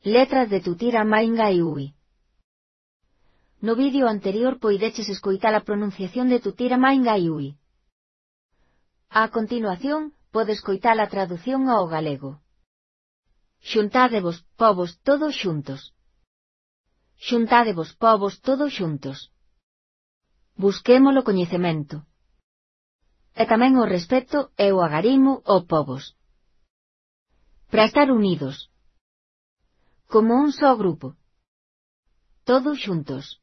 Letras de Tutira Maingai. No vídeo anterior poideches escoitar a pronunciación de Tutira Maingai. A continuación, podes escoitar a traducción ao galego. Xuntádevos, povos, todos xuntos. Xuntádevos, povos, todos xuntos. Busquemos o coñecemento. E tamén o respeto e o agarimo ao povos. Para estar unidos. Como un só grupo. Todos xuntos.